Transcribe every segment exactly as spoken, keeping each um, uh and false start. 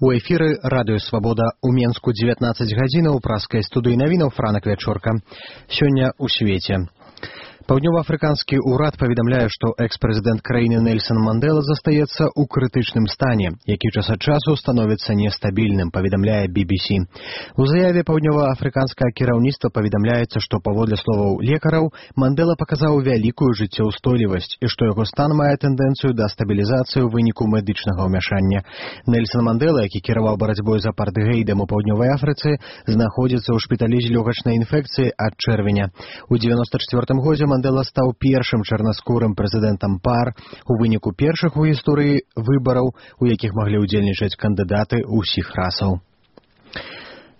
У эфіры радыё Свабода ў Менску дзевятнаццаць гадзінаў, праскай студыі навінаў Франак Вячорка. Сёння ў свеце. Паўднёва-афрыканскі ўрад паведамляе, што экс-прэзідэнт краіны Нельсан Мандела застаецца ў крытычным стане, які час ад часу становіцца нестабільным, паведамляе би би си. У заяве паўднёва-афрыканскае кіраўніцтва паведамляецца, што паводле словаў лекараў Мандела паказаў вялікую жыццеўстойлівасць і што яго стан мае тэндэнцыю да стабілізацыі ў выніку медычнага ўмяшання. Нельсан Мандела, які кіраваў барацьбой з апартэйдам у паўднёвай Афрыцы, знаходзіцца ў шпіталі з лёгачнай інфекцыяй ад чэрвеня. У дзевяноста чацвёртым годзе Мандела стаў першым чарнаскурым прэзідэнтам пар у выніку першых у гісторыі выбараў, у якіх маглі ўдзельнічаць кандыдаты ўсіх расаў.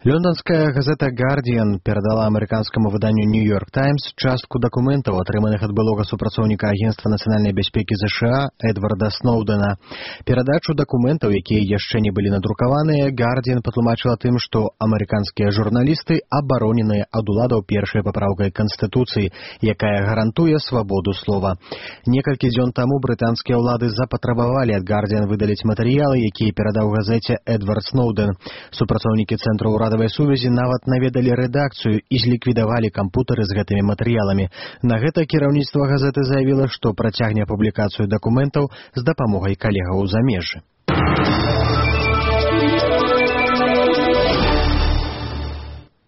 Лондонская газета «Гардиан» перадала амерыканскаму выданню «Нью-Йорк Таймс» частку дакументаў, атрыманых ад былога супрацоўніка Агенцтва нацыянальнай бяспекі ЗША Эдварда Сноўдэна. Перадачу дакументаў, якія яшчэ не былі надрукаваныя, «Гардиан» патлумачыла тым, што амерыканскія журналісты абароненыя ад уладаў першай папраўкай Канстытуцыі, якая гарантуе свабоду слова. Некалькі дзён таму брытанскія ўлады запатрабавалі ад «Гардиан» выдаліць матэрыялы, якія перадаў газеце Эдвард Сноўдэн. Супрацоўнікі цэнтру ўрадавай сувязі нават наведалі рэдакцыю і зліквідавалі кампутары з гэтымі матэрыяламі. На гэта кіраўніцтва газеты заявіла, што працягне публікацыю дакументаў з дапамогай калегаў у замежжы.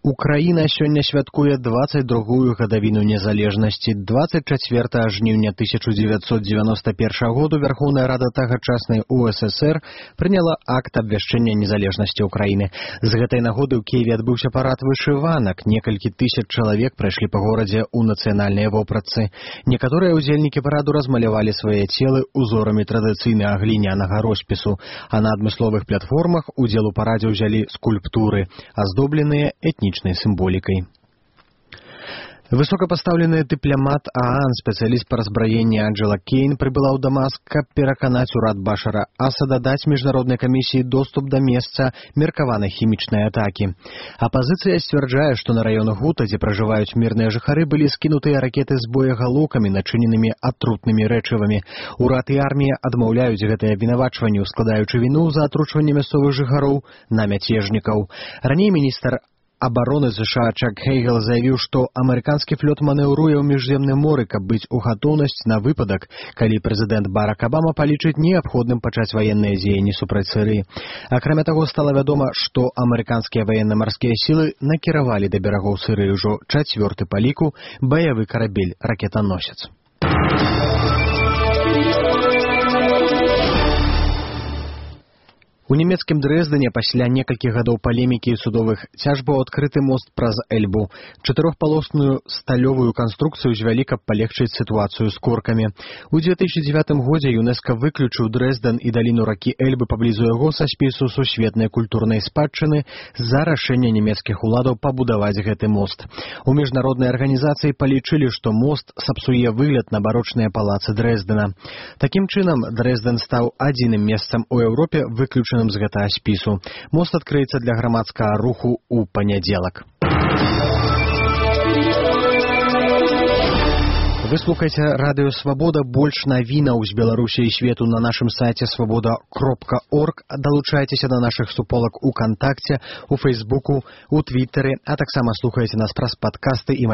Украіна сёння святкуе дваццаць другую гадавіну незалежнасці. дваццаць чацвёртага жніўня тысяча дзевяцьсот дзевяноста першага году Верховная Рада тагачаснай У Эс Эс Эр прыняла акт абвяшчэння незалежнасці Украіны. З гэтай нагоды ў Кіеве адбыўся парад вышыванак. Некалькі тысяч чалавек прайшлі па горадзе ў нацыянальныя вопратцы. Некаторыя ўдзельнікі параду размалявалі свае целы узорамі традыцыйнага глінянага роспісу, а на адмысловых платформах удзел у парадзе ўзялі скульптуры, аздобленыя этнічнымі сімволікай. Высокапастаўлены дыпламат ААН, спецыяліст па разбраенні Анджела Кейн, прыбыла ў Дамаск, каб пераканаць урад Башара Асада даць міжнароднай камісіі доступ да месца меркаванай хімічнай атакі. Апазіцыя сцвярджае, што на раёнах Гута, дзе пражываюць мірныя жыхары, былі скінутыя ракеты з боегалоўкамі, начыненымі атрутнымі рэчывамі. Урад і армія адмаўляюць гэтае абвінавачванне, складаючы віну за атручванне мясцовых жыхароў на мяцежнікаў. Раней міністр абароны ЗША Чак Хейгел заявіў, што амерыканскі флот манеўруе ў міжземным моры, каб быць у гатоўнасць на выпадак, калі прэзідэнт Барак Абама палічыць неабходным пачаць ваенныя дзеянні супраць Сірыі. Акрамя таго, стала вядома, што амерыканскія ваенна-марскія сілы накіравалі да берагоў Сірыі ўжо чацвёрты па ліку баявы карабель ракетаносец. У нямецкім Дрэздане пасля некалькіх гадоў палемікі і судовых цяжбаў адкрыты мост праз Эльбу. Чатырохпалосную сталёвую канструкцыю звялі, каб палегчыць сітуацыю з коркамі. У две тысячы дзевятым годзе ЮНЕСКО выключыў Дрэздан і даліну ракі Эльбы паблізу яго са спісу сусветнай культурнай спадчыны з-за рашэння нямецкіх уладаў пабудаваць гэты мост. У міжнароднай арганізацыі палічылі, што мост сапсуе выгляд на барочныя палацы Дрэздана. Такім чынам, Дрэздан стаў адзіным месцам у Еўропе выключаным з гэтага спісу. Мост адкрыецца для грамадскага руху ў панядзелак. Вы слухаеце радыё Свабода. Больш навінаў з Беларусі і свету на нашым сайце свабода кропка орг. Далучайцеся да нашых суполак у Кантакце, у Фейсбуку, у Твіттеры, а таксама слухаеце нас праз падкасты і